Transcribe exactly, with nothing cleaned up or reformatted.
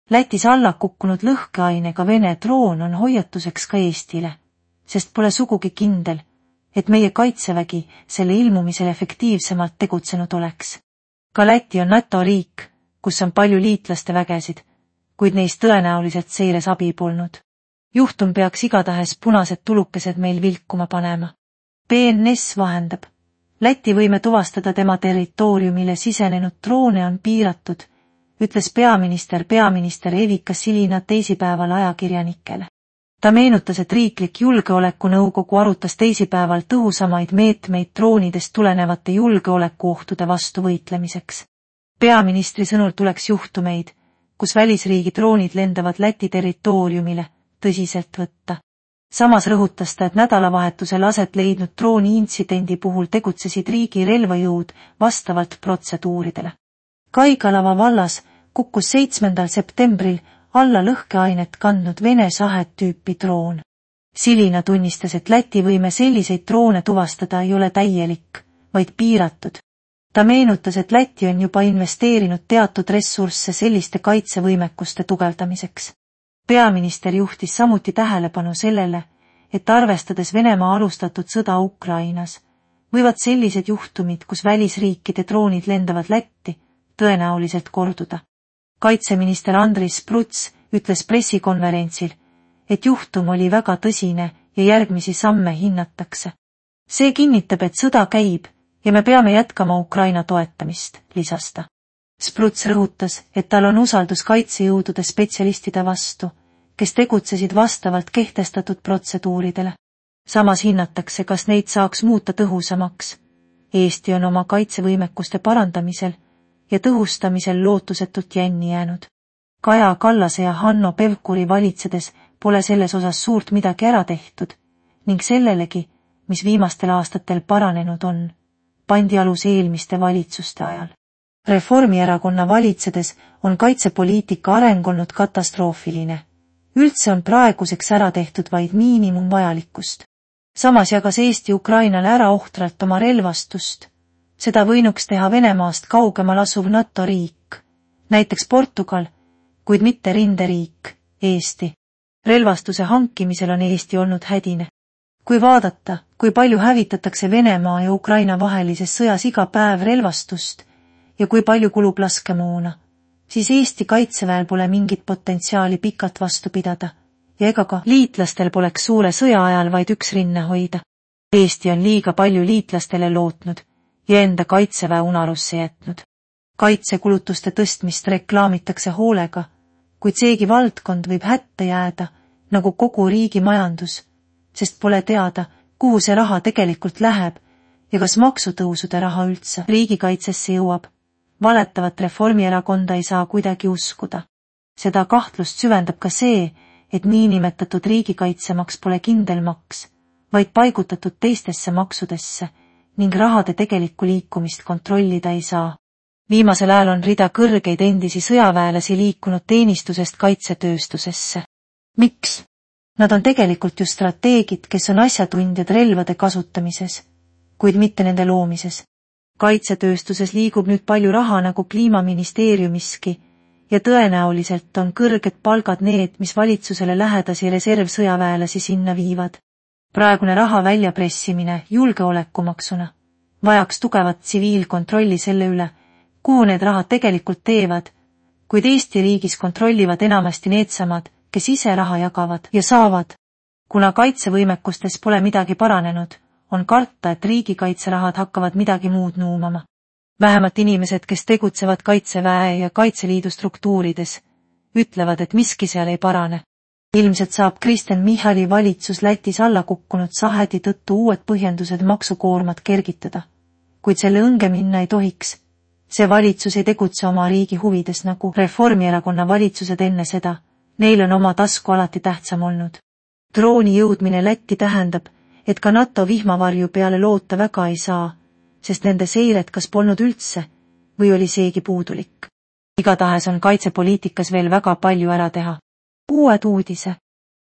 Lätis alla kukkunud lõhkeainega Vene droon on hoiatuseks ka Eestile, sest pole sugugi kindel, et meie kaitsevägi selle ilmumisel efektiivsemalt tegutsenud oleks. Ka Läti on NATO riik, kus on palju liitlaste vägesid, kuid neist tõenäoliselt seires abi polnud. Juhtum peaks igatahes punased tulukesed meil vilkuma panema. B N S vahendab. Läti võime tuvastada tema territooriumile sisenenud droone on piiratud, ütles peaminister peaminister Evika Silina teisipäeval ajakirjanikele. Ta meenutas, et riiklik julgeolekunõukogu arutas teisipäeval tõhusamaid meetmeid droonidest tulenevate julgeolekuohtude vastu võitlemiseks. Peaministri sõnul tuleks juhtumeid, kus välisriigi droonid lendavad Läti territooriumile, tõsiselt võtta. Samas rõhutas ta, et nädalavahetusel aset leidnud drooni intsidendi puhul tegutsesid riigi relvajõud vastavalt protseduuridele. Kaigalava vallas kukkus seitsmendal septembril alla lõhkeainet kandnud Vene sahet tüüpi droon. Silina tunnistas, et Läti võime selliseid droone tuvastada ei ole täielik, vaid piiratud. Ta meenutas, et Läti on juba investeerinud teatud ressursse selliste kaitsevõimekuste tugevdamiseks. Peaminister juhtis samuti tähelepanu sellele, et arvestades Venemaa alustatud sõda Ukrainas, võivad sellised juhtumid, kus välisriikide droonid lendavad Lätti, tõenäoliselt korduda. Kaitseminister Andris Pruts ütles pressikonverentsil, et juhtum oli väga tõsine ja järgmisi samme hinnatakse. See kinnitab, et sõda käib ja me peame jätkama Ukraina toetamist, lisas ta. Spruts rõhutas, et tal on usaldus kaitsejõudude spetsialistide vastu, kes tegutsesid vastavalt kehtestatud protseduuridele. Samas hinnatakse, kas neid saaks muuta tõhusamaks. Eesti on oma kaitsevõimekuste parandamisel ja tõhustamisel lootusetult jänni jäänud. Kaja Kallase ja Hanno Pevkuri valitsedes pole selles osas suurt midagi ära tehtud ning sellelegi, mis viimastel aastatel paranenud on, pandi alus eelmiste valitsuste ajal. Reformierakonna valitsedes on kaitsepoliitika areng olnud katastroofiline. Üldse on praeguseks ära tehtud vaid miinimum vajalikkust. Samas jagas Eesti Ukrainale ära ohtralt oma relvastust. Seda võinuks teha Venemaast kaugemal asuv NATO riik, näiteks Portugal, kuid mitte rinderiik, Eesti. Relvastuse hankimisel on Eesti olnud hädine. Kui vaadata, kui palju hävitatakse Venemaa ja Ukraina vahelises sõjas iga päev relvastust ja kui palju kulub laskemoona, siis Eesti kaitseväel pole mingit potentsiaali pikalt vastu pidada ja ega ka liitlastel poleks suure sõja ajal vaid üks rinne hoida. Eesti on liiga palju liitlastele lootnud ja enda kaitseväe unarusse jätnud. Kaitsekulutuste tõstmist reklaamitakse hoolega, kuid seegi valdkond võib hätta jääda, nagu kogu riigi majandus, sest pole teada, kuhu see raha tegelikult läheb ja kas maksutõusude raha üldse riigikaitsesse jõuab. Valetavat Reformierakonda ei saa kuidagi uskuda. Seda kahtlust süvendab ka see, et niinimetatud riigikaitsemaks pole kindel maks, vaid paigutatud teistesse maksudesse ning rahade tegelikku liikumist kontrollida ei saa. Viimasel ajal on rida kõrgeid endisi sõjaväelasi liikunud teenistusest kaitsetööstusesse. Miks? Nad on tegelikult ju strateegid, kes on asjatundjad relvade kasutamises, kuid mitte nende loomises. Kaitsetööstuses liigub nüüd palju raha nagu kliimaministeeriumiski ja tõenäoliselt on kõrged palgad need, mis valitsusele lähedasi reservsõjaväelasi sinna viivad. Praegune raha väljapressimine julgeolekumaksuna vajaks tugevat tsiviilkontrolli selle üle, kuhu need rahad tegelikult teevad, kuid Eesti riigis kontrollivad enamasti needsamad, kes ise raha jagavad ja saavad. Kuna kaitsevõimekustes pole midagi paranenud, on karta, et riigikaitserahad hakkavad midagi muud nuumama. Vähemalt inimesed, kes tegutsevad Kaitseväe ja Kaitseliidu struktuurides, ütlevad, et miski seal ei parane. Ilmselt saab Kristen Michali valitsus Lätis alla kukkunud sahedi tõttu uued põhjendused maksukoormat kergitada, kuid selle õnge minna ei tohiks. See valitsus ei tegutse oma riigi huvides nagu Reformierakonna valitsused enne seda, neil on oma tasku alati tähtsam olnud. Drooni jõudmine Lätti tähendab, et ka NATO vihmavarju peale loota väga ei saa, sest nende seiret kas polnud üldse või oli seegi puudulik. Igatahes on kaitsepoliitikas veel väga palju ära teha. Uued uudise.